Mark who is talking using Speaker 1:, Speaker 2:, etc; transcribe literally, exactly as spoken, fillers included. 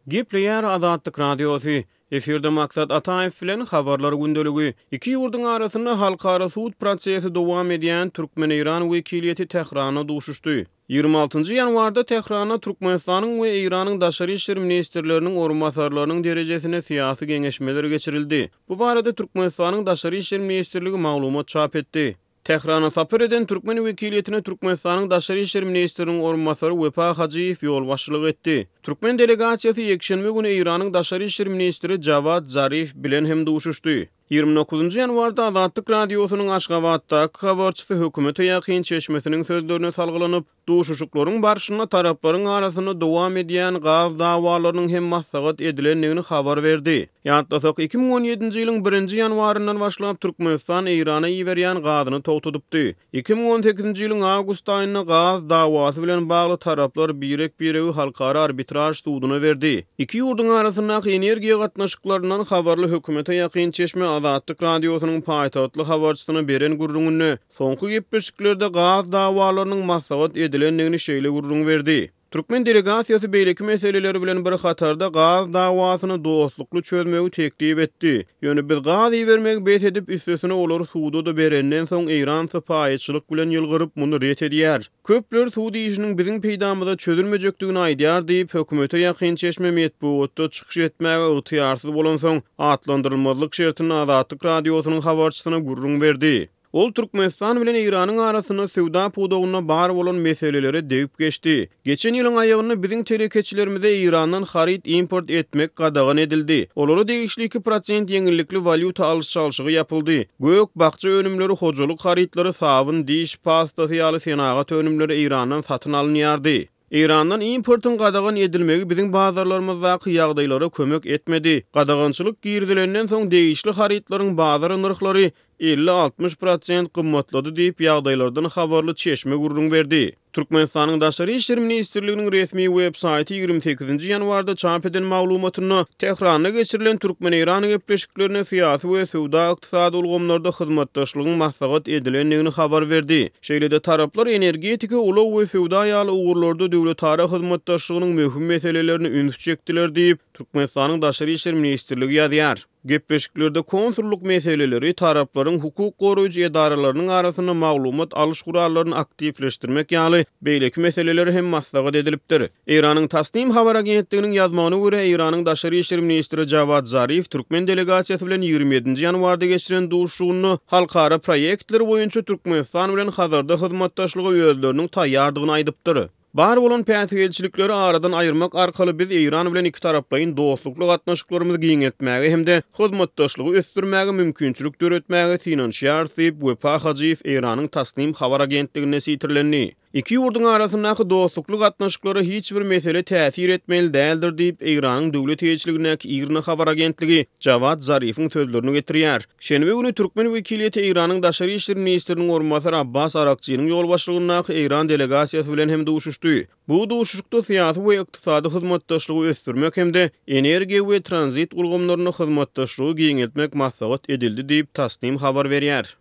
Speaker 1: Gepleýär Azatlyk Radiosy. Efirde Maksat Ataýew bilen Habarlar gündeligi. Iki ýurduň arasynda halkara sud prosesi dowam edýän türkmen-eýran wekiliýeti Tähranda duşuşdy. Ýigrimi altynjy ýanwarda Tähranda Türkmenistanyň we Eýranyň daşary işler ministrleriniň orunbasarlarynyň derejesinde syýasy geňeşmeler geçirildi. Bu barada Türkmenistanyň Daşary işler ministrligi maglumat çap etdi. Tährana sapar eden türkmen wekiliýetine Türkmenistanyň Daşary işler ministriniň orunbasary Wepa Hajyýew ýolbaşçylyk etdi. Türkmen delegasiýasy ýekşenbe güni Eýranyň Daşary işler ministri Jawad Zarif bilen hem duşuşdy. Ýigrimi dokuzynjy ýanwarda Azatlyk Radiosynyň Aşgabatdaky habarçysy hökümete ýakyn çeşmesiniň sözlerine salgylanyp, duşuşyklaryň barşynda taraplaryň arasynda dowam edýän gaz dawalarynyň hem maslahat edilendigini habar berdi. Ýatlasak, iki müň on ýedinji ýylyň birinji ýanwaryndan başlap Türkmenistan Eýrana iberýän gazyny togtadypdy. Iki müň on sekizinji ýylyň awgust aýynda gaz dawasy bilen bagly taraplar birek-biregi halkara arbitraž suduna berdi. Iki ýurduň arasyndaky energiýa gatnaşyklaryndan habarly hökümete ýakyn çeşme Azatlyk Radiosynyň paýtagtly habarçysyna beren gürrüňinde soňky gepleşiklerde gaz dawalarynyň maslahat edilendigini şeýle gürrüň berdi. Türkmen delegasiýasy beýleki meseleleri bilen bir hatarda gaz dawasyny dostlukly çözmegi teklip etdi. Ýöne biz gaz ibermegi bes edip, üstesine olary suda-da berenden soň Eýran sypaýyçylyk bilen ýylgyryp, muny ret edýär. Köpler sud işiniň biziň peýdamyza çözülmejekdigini aýdýar diýip, hökümete ýakyn çeşme metbugatda çykyş etmäge ygtyýarsyz bolansoň, atlandyrylmazlyk şertinde Azatlyk Radiosynyň habarçysyna gürrüň berdi. Ol Türkmenistan bilen Eýranyň arasynda söwda pudagynda bar bolan meselelere degip geçdi. Geçen ýylyň aýagynda biziň telekeçilerimize Eýrandan haryt import etmek gadagan edildi. Olara degişli iki prosent ýeňillikli walýuta alyş-çalşygy ýapyldy. Gök, bakja önümleri, hojalyk harytlary, sabyn, diş pastasy ýaly senagat önümleri Eýrandan satyn alynýardy. Eýrandan importyň gadagan edilmegi biziň bazarlarymyzdaky ýagdaýlara kömek etmedi. Gadagançylyk girizilenden soň degişli harytlaryň bazar nyrhlary elli-altmyş prosent gymmatlady diýip, ýagdaýlardan habarly çeşme gürrüň berdi. Türkmenistanyň Daşary işler ministrliginiň resmi web saýty ýigrimi sekizinji ýanwarda çap eden maglumatynda Tähranda geçirilen türkmen-eýran gepleşiklerine syýasy we söwda-ykdysady ulgamlarda hyzmatdaşlygyň maslahat edilendigini habar berdi. Şeýle-de taraplar energetika, ulag we söwda ýaly ugurlarda döwletara hyzmatdaşlygynyň möhüm meselelerine üns çekdiler diýip, Türkmenistanyň Daşary işler ministrligi ýazýar. Gepleşiklerde konsullyk meseleleri, taraplaryň hukuk goraýjy edaralarynyň arasynda maglumat alyş gurallaryny aktiwleşdirmek ýaly beýleki meseleler hem maslahat edilipdir. Eýranyň Tasnim habar agentliginiň ýazmagyna görä, Eýranyň Daşary işler ministri Jawad Zarif türkmen delegasiýasy bilen ýigrimi ýedinji ýanwarda geçiren duşuşygynda halkara proýektleri boýunça Türkmenistan bilen Hazarda hyzmatdaşlyga özleriniň taýýardygyny aýdypdyr. Bar bolan päsgelçilikleri aradan aýyrmak arkaly biz Eýran bilen iki taraplaýyn dostlukly gatnaşyklarymyzy giňeltmäge hem-de hyzmatdaşlygy ösdürmäge mümkinçilik döretmäge synanyşýarys diýip, Wepa Hajyýew Eýranyň Tasnim habar agentliginde sitirlendi. Iki ýurduň arasyndaky dostlukly gatnaşyklara hiç bir mesele täsir etmeli däldir diýip, Eýranyň döwlet eýeçiligindäki IRNA habar agentligi Jawad Zarifiň sözlerini getirýär. Şenbe güni türkmen wekiliýeti Eýranyň Daşary işler ministriniň orunbasary Abbas Arakçynyň ýolbaşçylygyndaky Eýran delegasiýasy bilen hem duşuşdy. Bu duşuşykda syýasy we ykdysady hyzmatdaşlygy ösdürmek hem-de energiýa we tranzit ulgamlarynda hyzmatdaşlygy giňeltmek maslahat edildi diýip, Tasnim habar berýär.